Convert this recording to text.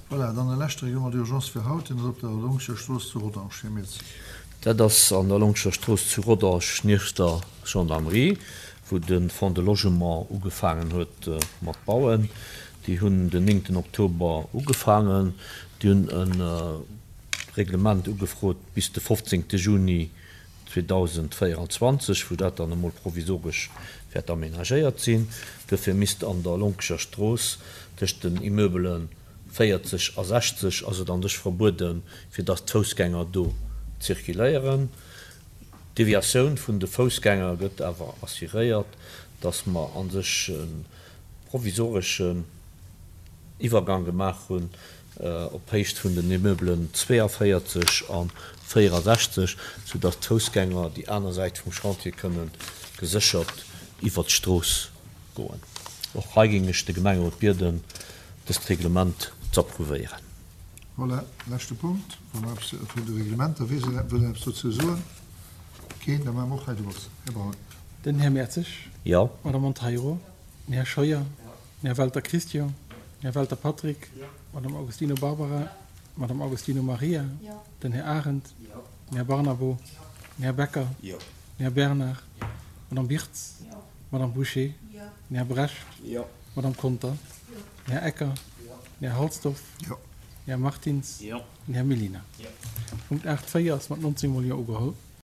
Voilà, dann e leschte Règlement d'urgence fir haut, deen ass op der Longscher Strooss zu Rodange. Här Mirzi. Dat ass an der Longscher Strooss zu Rodange nieft der Gendarmerie, wou de Fonds de Logement ugefaangen huet mat bauen. Déi hunn den néngten Oktober ugefaangen. Déi hunn e Reglement ugefrot bis de fofzéngte Juni 2024, wou dat dann emol provisoresch wäert amenagéiert sinn. Duerfir misst an der Lonkescher Strooss tëscht den Immeubele 40 a 60 ass et an sech verbueden, fir dass d'Foussgänger do zirkuléieren. D'Deviatioun vun de Foussgänger gëtt awer assuréiert, dass mer a sech e provisoreschen Iwwergang gemaach hunn op Héicht vun den Immeublen 42 a 64, soudass d'Foussgänger déi aner Säit vum Chantier kënne geséchert iwwert d'Strooss goen. Och hei géing ech de Gemengerot bieden, dëst Reglement z'approuvéieren. Voilà, leschte Punkt, wa mer eppes vun de Reglementer, wee wëll eppes dozou soen? Keen? Da maache mer och hei de Vott. Här Braun. Den Här Mertzig. Jo. D'Madame Monteiro. Den Här Scheuer. Den Här Welter Christian. Den Här Welter Patrick. D'Madame Augustino Barbara. D'Madame Augustino Maria. Den Här Arendt. Den Här Barnabo. Den Här Becker. Den Här Bernard. D'Madame Birtz. D'Madame Bouché. Den Här Brecht. D'Madame Conter. Den Här Ecker. Den Här Halsdorf. Den Här Martins. Den Här Mellina. Punkt 8, 4 ass mat 19 mol Jo ugeholl.